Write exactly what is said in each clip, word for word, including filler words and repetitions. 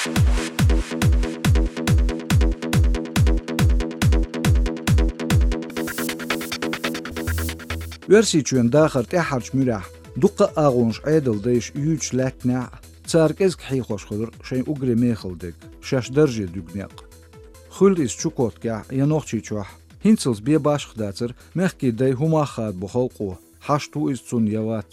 Оьрсийчоьнан дахар тӀаьххьарчу муьрехь дуккха а агӀонаш Ӏедалан дайша юьйцуш лаьттинехь а, цара кӀезиг хьехош хилира шайн уггаре мехала дерг, шаьш дарже дуьгу некъ. Хуьлда иза Чукоткехь я Нохчийчохь, хӀинцалц бен башха дацара мехкийн дай хӀун мах хадабо халкъо, хьашт ву иза цунна я вац.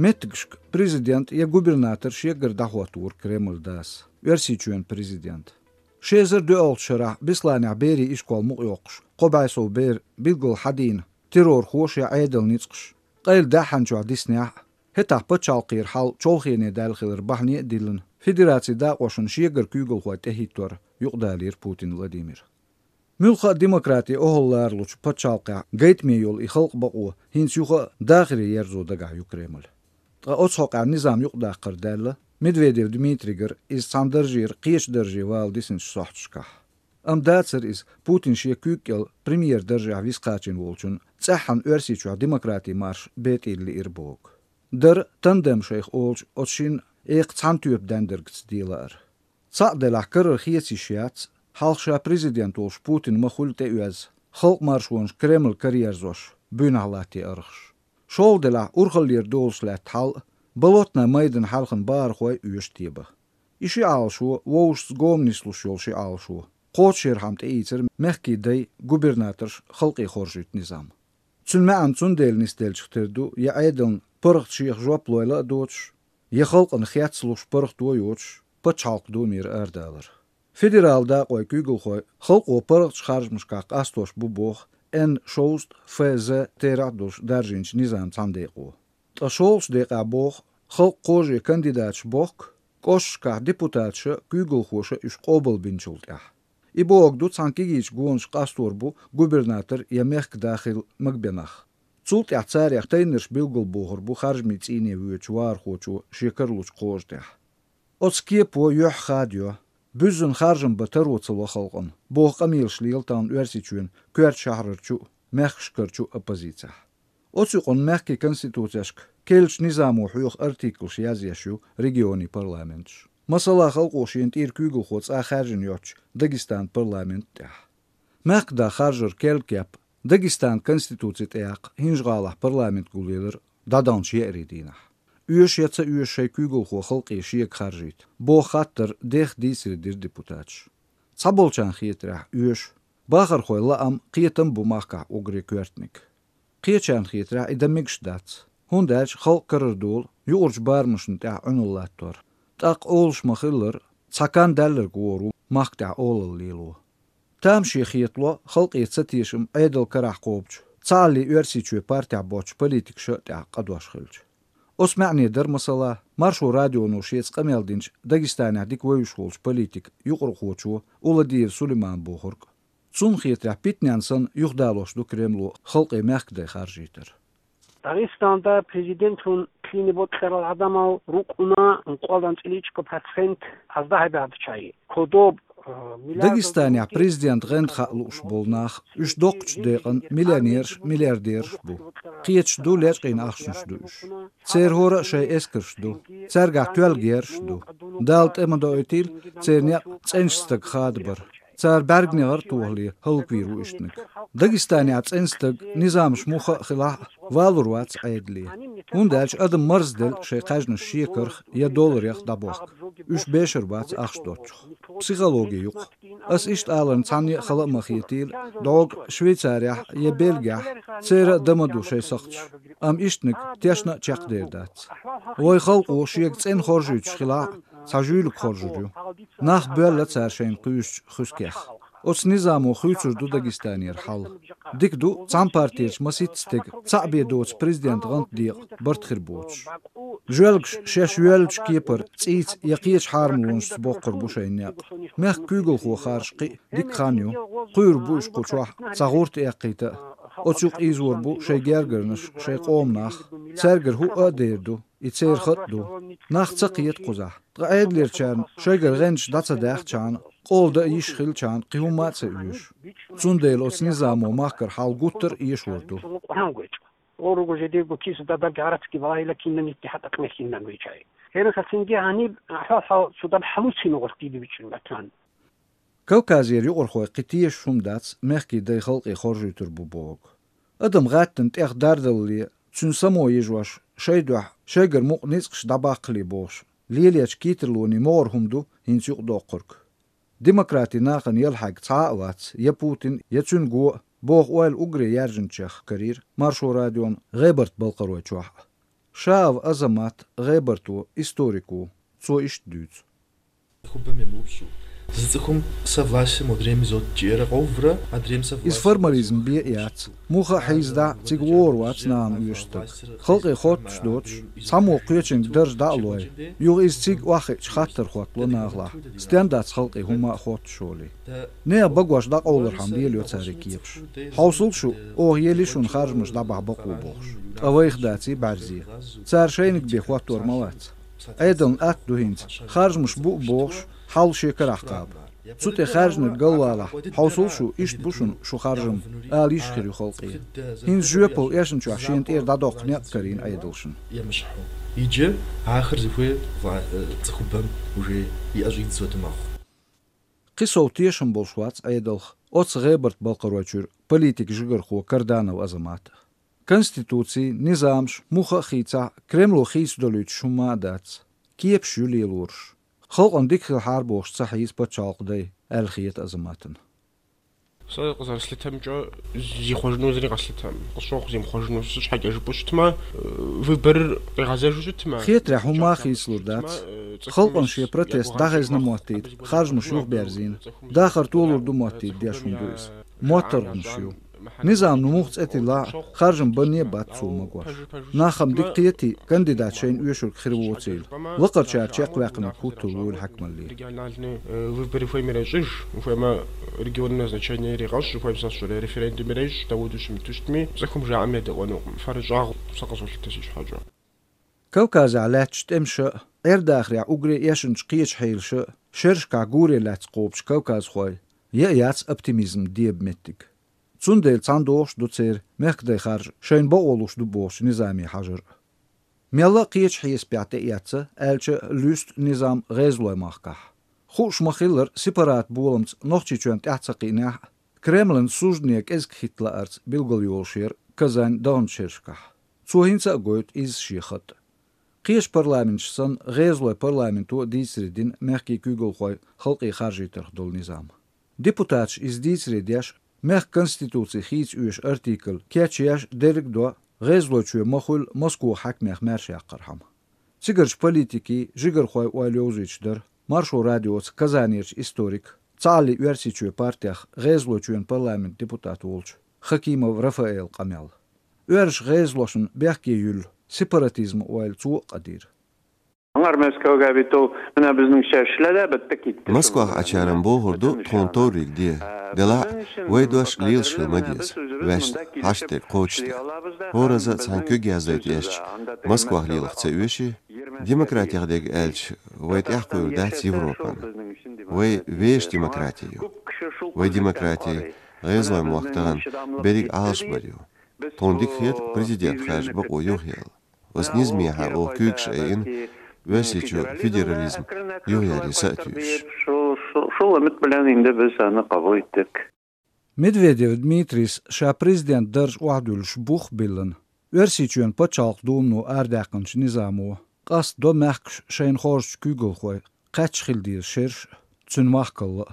Меттигашка президент я губернатор шегара дӀахӀотто вара Кремлан дас, Оьрсийчоьнан президент. Ши эзар доьалгӀачу шарахь Бесланехь берийн ишкол мукъайоккхуш, кхо бӀе сов бер билггал хьадийна террорхоша я Ӏедалан ницкъаша, къайладаьхьна чохь диснехь а, хӀетахь пачхьалкхера хьал чолхене даьлла хилар бахьане а диллина, Федерацин дакъошна шегара куьйгалхой тӀехӀиттор юкъадалийра Путин Владимира. Муьлхха а демократи охӀлаларалучу пачхьалкхехь гайтаме йолу и халкъан бакъо хӀинца юха а дахаре ерзо дагахь ю Кремль. Ткъа оцу хьокъехь низам юкъадаккхар даьлла Медведев Дмитрийгара, иза цхьана даржера кхечу дарже вала дисинчу сохьташкахь. Амма дацара иза Путин шен куьйга кӀел премьер даржехь виса кхачийна волчун цӀеххьана Оьрсийчохь демократин марш бетӀийла лиира боху. Дара тандем шайх олучу оцу шина экха цхьана тоьпа даьннаргца дела лаар. Цхьаъ делахь, карара хеца йиш яц, хьалха ша президент волуш Путин ма хуьллу тӀеоьзна, халкъан маршонаш Кремль караерзош, буьйнахь латте аргӀаш. ШолгӀа делахь, урхаллера долуш лаьтта хьал а, Болотный майданна хьаьлхана бахархой а оьшу тебан. И ши Ӏалашо, вовшашца гома нислуш йолу ши Ӏалашо, кхочушъярхьама тӀеийцира мехкийн дай, губернаторш халкъе хоржуьйту низам. Цуьнан маьӀна цундела нисделчух тера ду, я Ӏедална паргӀат шех жоп лойла а доцуш, я халкъана хецна луш паргӀато а йоцуш, пачхьалкхан думера арадалар. Федералан дакъойн куьйгалхой халкъо паргӀатчу харжамашкахь къастош бу боху Н шовзткъа Ф З терахь а долуш даржийначу низаман цхьана декъо. Ткъа шолгӀачу декъехь боху, халкъан кхоже кандидаташ бохку, кӀошташкахь депутаташа, куьйгалхоша уьш къобалбинчул тӀаьхьа. И бохург ду, цхьана кегийчу гонаша къастор бу губернатор я мехкан да хила магабен нах. Цул тӀаьхьа царех тайнарш билгалбохур бу харжамийн цӀийне воьдучу вахархочо шен каралучу кхожа тӀехь. Оцу кепо юьхь хадайо, буьззина харжам бан таро ца ло халкъана, боху къамелаш лела тахана Оьрсийчоьнан коьртачу шахьарарчу а, мехкашкарчу а оппозицехь. Оцу юкъана мехкийн конституцешка керлачу низамо хьоьху артиклаш язъеш ю регионийн парламенташ. Масала, халкъо шена тӀера куьйгалхо цкъа а хаьржина йоццучу Дагестанан парламент тӀехь. Мехкан да харжар керла кеп Дагестанан конституци тӀеяккха ХӀинжа-ГӀалахь парламент гулъелира дӀадаханчу еарин дийнахь. Оьшу я ца оьшу шайн куьйгалхо халкъе шега харжийта, боху хаттар дех дийцаре дира депутаташа. Цхьаболчарна хетарехь, оьшу. Бахархойн лаам, кхетам а бу махкахь уггаре коьртаниг. Кхечарна хетарехь, и дан мегаш дац, хӀунда аьлча халкъ карара долу юкъарчу барамашна тӀехь Ӏуьналла латтор. ТӀаккха олуш ма-хиллара, цхьа кан даьлларг вогӀур ву махка тӀехь олалла лело. Тамаше хетало халкъе цатешам Ӏедалан карахь кхобучу, цхьаалле Оьрсийчоь партехь боцучу политикаша а тӀехь къа дош хилча. Оцу маьӀне дара, масала, Маршо радионо шеца къамел динчу Дагестанехь дика вевзаш волчу политикан юкъархочо Уладиев Сулеймана бохург. Цунна хетарехь, питанен санна юхадалош ду Кремло халкъе мехкан дай харжийтар. Дагестанда президентун тлини бокьарал адамал рукъуна кӀолдан цӀиличка процент аздахьа баьхначай. Кодоб, э, миллиард Дагестанехь президент гӀенда хаа лууш болу нах, уьш доккхачу декъан миллионераш, миллиардераш бу. Кхеташ ду, лечкъийна ахчанаш ду уьш. Церан хӀора а шайн эскарш ду. Цаьргахь тоьлла герзаш ду. Дала тӀе ма доуьйтийла церан некъ цӀеначу стага хадабар. Цара бӀаьрганегӀар а тохале, хӀаллаквийр ву иштаниг. Дагестанехь цӀена стаг, низамаш муха а хилахь а, валур вац Ӏедале. ХӀунда аьлча адам марзделла шайн кхаьжнаш шекарх я долларех дӀабохка. Уьш бешар бац ахча доцчух. Психологи ю-кх. Ас иштта аларна цхьанне а хала а ма хетийла, дӀогахь Швейцарехь я Бельгехь церан а дан ма ду шайн сакхташ, амма иштаниг тешна а чекхдер дац. Вайн халкъо шега цӀена хоржуьйтуш хилахь а, цхьа жуьйлиг хоржур ю. Нах боьлла цара шайна кхуьйсучу хуьскех. Оцу низамо хуьйцур ду Дагестанера хьал. Дика ду, цхьана партерчу масийтта стеган цхьаъ бен доцу президент гӀант декъа барт хир боцуш. Жоьлгаш шаьш йоьллачу кепара цӀийца я кхечу хьарамлонашца боккхур бу шайн некъ. Мехкан куьйгалхо харжа кхин а дика хан ю. Кхуьур бу уьш кху чохь цхьа гӀурт эккхийта а. Оцу юкъа ийзор бу шайн гергарнаш, шайн къоман нах. Цаьргара хӀуъа а дер ду, и церан хатӀ ду. Нах ца кхета кхузахь. Ткъа Ӏедалерчарна шайгара гӀенташ дӀа ца даьхчахьана, къола дан йиш хилчахьана, кхин хӀумма а ца оьшу. Цундела оцу низамо махкара хьал гуттар а эшор ду. Оруг уже дего киса да даг арацки валайла кинна нитти хатакъ мехиннан вичай. ХӀара хацинге гьаниб хьо-хьо цудам хьалуцина гъоркъ дийди бичӀин батан. Кавказера юкъархой кхы тешаш хӀума дац, мехкий дай халкъе хоржуьйтур бу бохург. Адам гӀаттана тӀех дардалле, цуьнан само йижош, шайн дуьхьа шайгара мукъа ницкъаш дӀабаккхале бохуш, лелечу кийттарлонийн могӀара хӀума ду хӀинца юкъадоккхург. Демократи нахана яла хьаьг цхьа а вац, я Путин, я цуьнан го а, боху ойла уггаре яьржинчех карийра Маршо радион ГӀебарта балкхарой чохь а. Шаав Азамат, гӀебарто, историк ву, цо иштта дуьйцу. Хуббам я мубсу. Зы цӀыхум са властьм одрем зод чӀера къовра, адрем са Иза властьм формализм бе а яц, муха а хьийзадахь, цига вогӀур вац нахана оьшуш стаг. Халкъе хоттуш доцуш, цхьаммо кхечуьнга дарж дӀа а лой, юха иза цига охьахиъча хаттар хӀоттало нахалахь, стенна дац халкъе хӀумма а хоттуш олий. Нехан багош дӀакъовлархьама лелайо цара и кепаш. Хьовсал шу, оха ели шуна харжамаш дӀабахьа бакъо бохуш. Ткъа вайх даций бӀаьрзе. Цара шайниг бен хӀоттор ма вац. Ӏедална атта ду хӀинца, харжамаш бу а бохуш, хьал шен карахь кхаба. Цу тӀе хаьржинарг галвалахь, хьовсал шу, иштта бу шуна шу харжам, ала йиш хир ю халкъе. ХӀинца жоьпалла эшначохь шена тӀера дӀадоккху некъ карийна Ӏедалшна. Ямашхьу. Иджы ахэр зыхуей вла-, э, цӀыхубэм уже и ӀэщӀидз зодымахъу. Кхин сов тешам болуш вац Ӏедалх оцу ГӀебарта балкхарой чуьра политик жигархо Карданов Азамат. Конституций, низамаш муха а хийцахь, Кремло хийца долуьйтуш хӀумма а дац. Кепаш ю лелораш. Халкъана дика хилахьара бохуш ца хьийза пачхьалкх дай, аьлла хета Азаматана. Са къазар слетам чӀо, зи хожну зри къаслетам. Къасох зим хожну су чхьакӀа жупуш тма, э, выбор къигъаза жужу тма. Хетарехь хӀумма а хийцалур дац. Халкъана шен протест дӀахезна моттийта, харжамаш юхаберзийна. Дахар толур ду моттийта деш хӀума ду иза. МоттаргӀанаш ю. Низамна муха цӀе тиллахь а, харжам банне а бац цо магош. Нах-м дика кхетий, кандидат шайна оьшург хир воцийла. Лакхарчара чекхваьккхинарг хӀуттур вуйла хьаькамалле. Региональный, э, выборы хуэм ирещӀыж, хуэма регионное значение иригъэщӀ, хуэм сащӀэрэ референдум ирещӀ, Даудыщым тыщтми, цӀыхум жаӀэм едэӀуэнукъым. ФэрыщӀагъ сэ къызолъытэ си щхьэкӀэ. Кавказехь лаьтташ тӀемаша а, Ӏер-дахарехь уггаре эшначу кхечу хьелаша а, шерашкахь гуре лаьцна кхобучу кавказхой я а яц оптимизм деба меттиг. Цундела цхьаьна догӀуш ду церан мехкадай харжа шайна бакъо луш ду бохучу низаме хьажар а. Мелла а кхечу хьесапехь тӀеэцна, аьлча а, луьсту низам гӀезалойн махкахь. Хууш ма-хиллара, сепарат боламца Нохчийчоьнна тӀаьхьа ца кхиънехь а, Кремлан суждане кӀезиг хӀитта лаарца билгалйолуш яра Казань даханчу шерашкахь. Цо хӀинца а гойту иза шен хатӀ. Кхечу парламенташ санна, гӀезалойн парламенто а дийцаре дина мехкийн куьйгалхой халкъе харжийтарх долу низам. Депутаташа иза дийцаре деш, мехкан конституци хийца оьшу артикль кечъеш дерриг а до, ГӀезалойчоь ма хуьллу Москван хьаькамех маьрша яккхархьама. Цигарчу политикийн, жигархойн ойла йовзуьйтуш дара Маршо радиоца Казанерчу историк, цхьааллин Оьрсийчоьнан партех ГӀезалойчоьнан парламентан депутат волчу Хакимов Рафаэлан къамел. Оьрсаша гӀезалошна бехке юьллу сепаратизман ойла цо а къадийра. Аңар Мәскәүгә бит ул, менә безнең чәчләр дә бетте китте. Москвах Ӏачарам бохур ду тхуна товриг де, делахь а вай дош лелаш хила ма деза, ваьшна хьашт дерг кхочушде. ХӀораза цхьаьна куьг яздайта эшча, Москвах лелах ца оьший, демократих дерг аьлча, вай тӀаьхьакхуьур дац Европана. Вай вешан демократи ю. Вай демократи гӀезалойн мохк тахана берриг Ӏалашбар ю. Тхуна дика хета президент хержа бакъо юхаяла. Оцу низамехьа оха куьйгаш айина, Оьрсийчу федерализм юхаяре са а туьйсуш. Шул, шул, шул өмет белән инде без аны кабул иттек. Медведев Дмитрийс ша президент дарж охьадуьллуш бух а биллина, Оьрсийчоьнан пачхьалкхан думано арадаьккхинчу низамо къастадо мехкаш шайна хоржучу куьйгалхой кхаьчча хила деза шераш а, цуьнан махкалла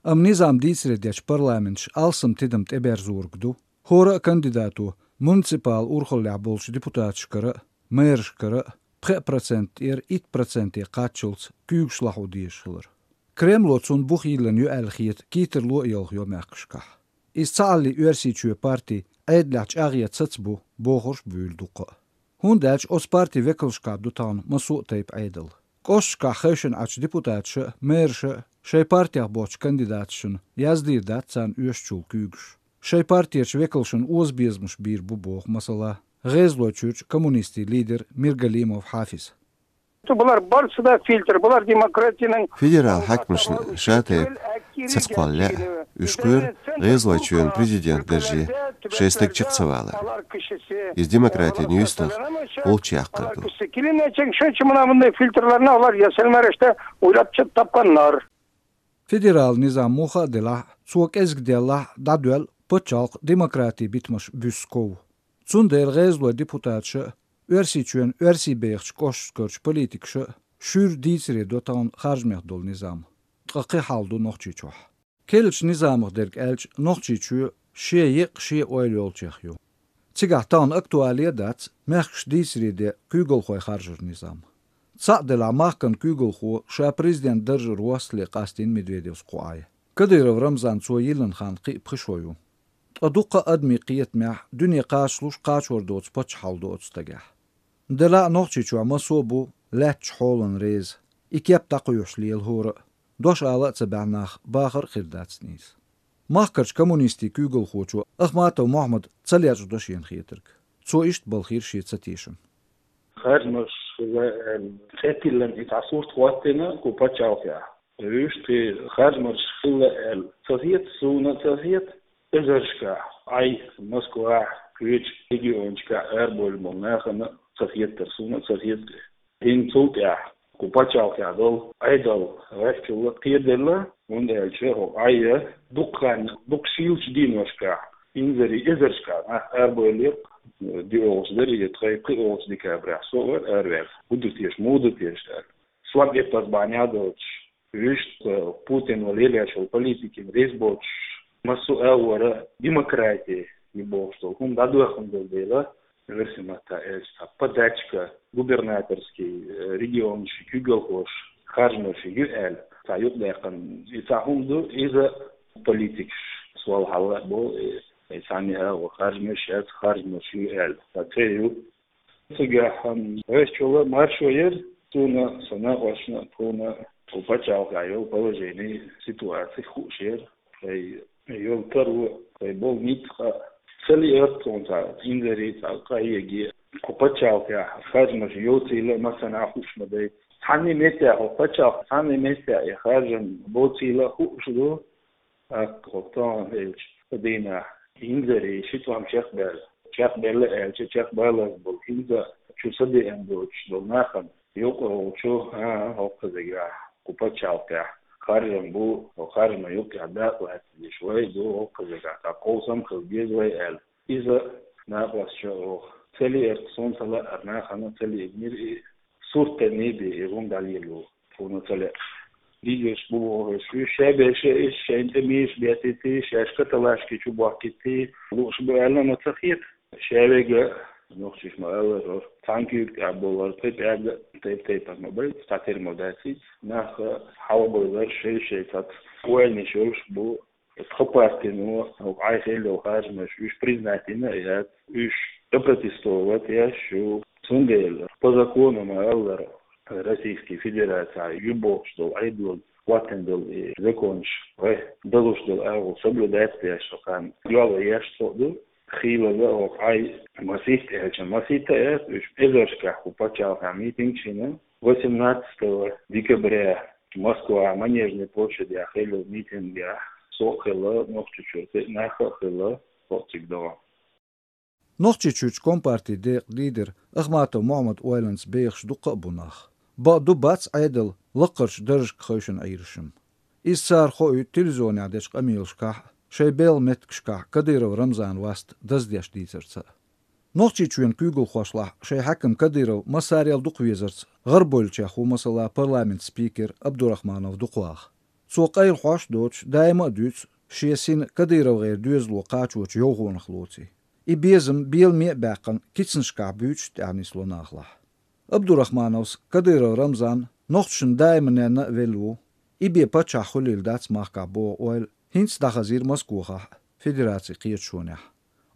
а. Амма низам дийцаре дечу парламенташа алсам тидам тӀеберзориг ду, хӀора а кандидато муниципал урхаллехь болчу депутаташкара а, мэрашкара а пхеа процент тӀера итт проценте кхаччалц куьйгаш лахьо дезаш хилар. Кремло цунна бух йиллина ю аьлла хета кийттарло а ялхайо мехкашкахь. Иза цхьааллин Оьрсийчоь парти Ӏедалехь чӀагӀъян цаца бу, бохурш а буьйлу дуккха а. ХӀунда аьлча оцу парти векалшкахь ду тахана массо а тайпа Ӏедал. КӀошташкахь хевшина Ӏачу депутаташа а, мэраша а шайн партех боцчу кандидаташна яздийр дац царна оьшучул куьйгаш. Шайн партерчу векалшна озабезамаш бийр бу боху, масала, ГӀезалойчуьрчу коммунистийн лидер Миргалимов Хьафиз. Цу булар барс да фильтр, булар демократияның. Федерал хьакимашна ша тайпа ца кхолла лаьа, уьш кхоьру ГӀезалойчоьнан президент дарже шайн стаг чакх ца валар. Из демократин юьстах гӀулч яккхар ду. Килинечен шо чимана мунда фильтрларна олар ясалмарашта уйлап чат тапканнар. Федерал низам муха а делахь, цо кӀезиг деллахь а, дӀадоьлла пачхьалкх демократи битамаш буьсса ков. Цундела ГӀезалойн депутаташа а, Оьрсийчоьнан оьрсий бехачу кӀошташкарчу политикаша а шуьйра дийцаре до тахана харжамех долу низам. Ткъа кхин хьал ду Нохчийчохь. Керлачу низамах дерг аьлча, Нохчийчоь шен екъа, шен ойла йолчех ю. Цигахь тахана актуале а дац мехкашка дийцаре де куьйгалхой харжаран низам. Цхьаъ делахь, махкан куьйгалхо ша президент даржара воссале къастийна Медведевс кху Ӏай. Кадыров Рамзан цо йиллина хан кхин а пхи шо ю. Ткъа дуккха а адамийн кхетамехь дуьне кхачалуш, кхачор доцу паччахьалла ду оцу стагехь. Делахь а Нохчийчохь массо а бу лаьттачу хьолана реза. И кеп дӀакхоьхьуш лела хӀора а, дош ала а ца баьхьа нах бахар а хир дац нийса. Махкарчу коммунистийн куьйгалхочо Ахматов Мохьмада ца лечкъадо шена хетарг. Цо иштта балхийра шен цатешам. Харжамаш хилла аьлла, цӀе тиллина и цхьа сурт хӀоттийна кху пачхьалкхехь. Вуьшта кхин харжамаш хилла аьлла ца хета, суна а ца хета, эзаршкахь, Ӏай, Москвахь, кхечу регионашкахь арабевлла болу нахана а ца хетара, суна а ца хета. ХӀинца цул тӀаьхьа кху пачхьалкхехь долу Ӏедал гӀеххьачул а кхераделла, хӀунда аьлча хӀокху Ӏай дукха хан, дукха шийлачу дийношкахь, инзаре эзаршкахь нах арабевллера, диъ олуш дара, я тхайн пхиъ олуш декабрехь со а вара араваьлла. ХӀун ду теша, муха ду теша аьлла. Сом эппаз бахьана доцуш, вуьшта Путин вала лелош йолу политикина реза боцуш, массо а агӀора демократи ю бохуш долу хӀума дӀадоьхна долу дела, оьрсийн маттахь аьлча, цхьа подачка, губернаторский, э, регионаш, куьйгалхоша харжамаш ю аьлла, цхьа юкъадаьккхина и цхьа хӀума ду, иза политикаш сол хьалла а бо, э, э, цхьанне а агӀор харжамаш яц, харжамаш ю аьлла, цхьа ца ю. Цигахь гӀеххьачул а маршо яра, суна а, сан накъосташна а, тхуна а, кху пачхьалкхехь йолу положение, ситуаци хууш яра, тхайн йолу таро, тхайн болу ницкъ а. Ца лиира тхуна цхьа инзаре, цхьа къахьега, кху пачхьалкхехь харжамаш йоцийла а, массанхьа а хууш ма дай. Цхьанне а меттехь, кху пачхьалкх цхьанне а меттехь и харжам боцийла а хууш ду. ТӀаккха хӀокху тахана хилча дийнахь инзаре ши тӀом чекхбаьлла. Чекхбаьлла аьлча, чекхбалаза болу хӀинца чу са деана доцуш долу нахана юкъа волчу, а, хӀокху кхузахь, кху пачхьалкхехь харжам бу, хӀокху харжаман юккъехь дакъа латтадеш вай ду, хӀокху кхузахь цхьа кховсам хила деза вай аьлла. Иза накъосташна оха ца лиира, суна ца лаьара, нахана а ца лиънера и, сурт тӀе ма бе и хӀума дӀалело, тхуна ца лаьа. Дийзарш бу бохуш, уьш шаберш а, уьш шайна тӀе мийраш беттийти, шаьш каталашки чу бохкийти, лууш бу аьлла ма ца хета. Шаверг а, нохчаша ма-аллара, цхьана куьйга тӀехь болар, тхайн пӀелг а тайп-тайпана ма бай, цхьатерра ма дац иза. Нах а хьалабевллера шай-шай цхьацца ойланаш йолуш бу. Тхан партино, хӀокху Ӏай хилла йолу харжамаш, уьш признать йина а яц, уьш опротестовать еш ю. Цундела, по закону ма-аллара, Российский Федерацехь ю бохуш долу Ӏедало хӀоттийна долу и законаш, вай далуш долу агӀо соблюдать деш, хан йола еш цо ду. Хийлаза хӀокху Ӏай масийтта аьлча, масийтта а яц, уьш эзаршкахь кху пачхьалкхехь митингаш йина. Восемнадцатого декабря Москва, Манежная площадь яхъелла митингехь со а хилла, Нохчийчуьра нах а хилла, хӀокху цига догӀу. Нохчийчуьрчу компартин декъан лидер Ахматов Мохьмад ойланца бехаш дуккха а бу нах. Бакъду, бац Ӏедал лакхарчу даржашка хевшина Ӏийрашам. Иза цара хоуьйту телевизионехь дечу къамелашкахь а, шайн белхан меттигашкахь Кадыров Рамзан васт даздеш дийцарца а. Нохчийчоьнан куьйгалхошлахь шайн хьаькам Кадыров массарел дукха везарца гӀарабевллачех ву, масала, парламентан спикер Абдурахманов Дукхваха. Цо къайла хьош а доцуш, даима а дуьйцу шен сина КадыровгӀеран доьзало кхачочу йовхонах лоций. И безам беламе а баьккхина, кицанашкахь буьйцуш а тӀаьхьа нисло нахалахь. Абдурахмановс Кадыров Рамзан нохчашна даима ненна а велла ву. И бен паччахь хуьлийла дац махкахь боху ойла хӀинца дӀахазийра Москохахь а, Федерацин кхеташонехь.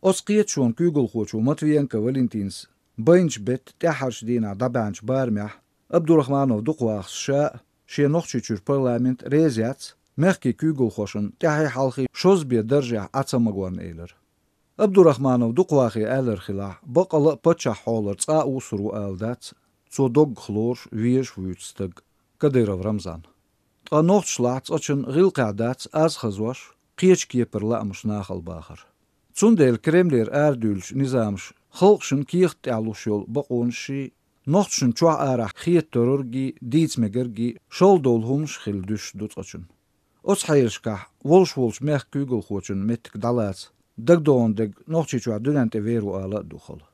Оцу кхеташонан куьйгалхочо Матвиенко Валентинас байначу беттан тӀаьххьарчу дийнахь дӀабаьхьначу барамехь Абдурахманов Дукхвахас ша а, шен Нохчийчуьра парламент а реза яц мехкийн куьйгалхошна тӀаьхьий-хьалхий шозза бен даржехь Ӏа ца магорна элира. Абдурахманов Дукхвахе аьлларг хилахь, баккъалла а паччахьан хьолара цкъа а уссур ву ала дац, цо доггах лоруш, везаш вуьйцу стаг Кадыров Рамзан. Ткъа нохчашлахь цкъачунна гӀиллакхехь дац аз хазош, кхечу кепара лаамаш нахала бахар. Цундела Кремлера арадуьйлучу низамаша халкъашна кехат тӀехь луш йолу бакъонашший, нохчашна чохь-арахь хета торуьргий, дийца мегаргий, шолгӀа долу хӀуманаш а хилла дуьсуш ду цкъачунна. Оцу хьелашкахь волуш волчу мехкан куьйгалхочун меттиг дӀалаца, дагадогӀун дерг Нохчийчохь дуьнен тӀе вер ву ала а ду хала.